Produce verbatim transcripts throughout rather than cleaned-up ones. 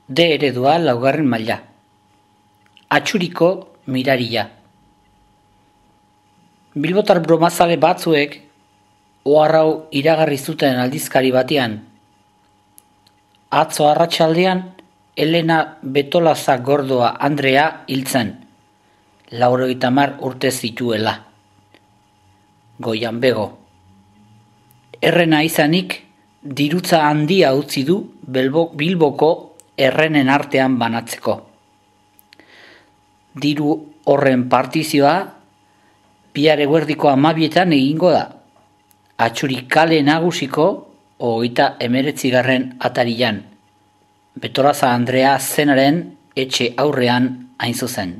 D eredua laugarren maila. Atxuriko miraria. Bilbotar bromazale batzuek oharrau iragarri zuten aldizkari batean. Atzo arratsaldean Elena Betolaza Gordoa Andrea hiltzen, laurogeita hamar urte zituela. Goian bego. Errena izanik, dirutza handia utzi du Bilboko errenen artean banatzeko. Diru horren partizioa bihar eguerdiko hamabietan egingo da. Atxuri kale nagusiko hogeita hemeretzigarren atarian. Betolaza Andrea zenaren etxe aurrean hain zuzen.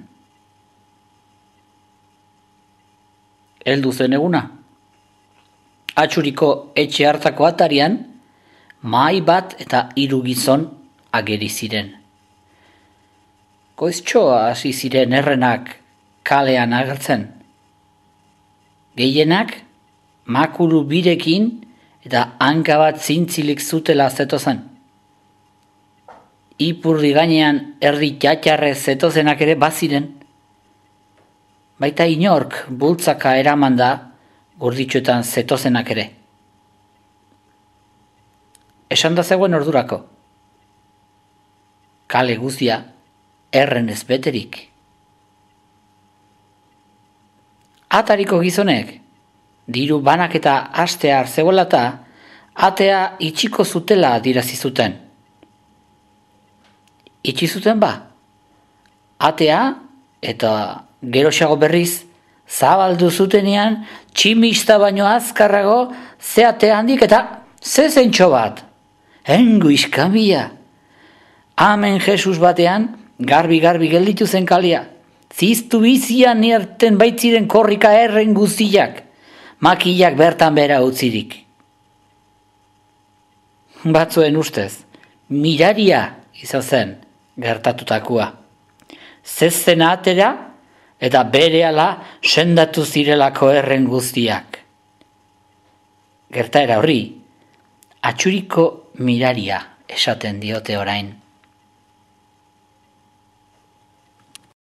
Heldu zen eguna. Atxuriko etxe hartako atarian, mahai bat eta hiru gizon ageri ziren. Goiztxoa hasi ziren errenak kalean agertzen. Gehienak makulu birekin eta hanka bat zintzilik zutela zetozen. Ipurdi gainean erdi txatxarrez zetozenak ere baziren. Baita inork bultzaka eraman da gurditxoetan zetozenak ere. Esan da zegoen ordurako. Kale guztia erren ez beterik. Atariko gizonek, diru banaketa hastear zegoelata, atea itxiko zutela adirazi zuten. Itxi zuten ba, atea eta geroxago berriz zabaldu zutenean tximista baino azkarrago ze ate handik eta ze zentxo bat. Engu iskambia. Amen Jesus batean garbi-garbi gelditu zen kalia. Ziztu bizian nierten baitziren korrika erren guztiak, makilak bertan bera utzirik. Batzuen ustez, miraria izan zen gertatutakoa. Zezena atera eta berehala sendatu zirelako erren guztiak. Gertaera horri, atxuriko miraria esaten diote orain.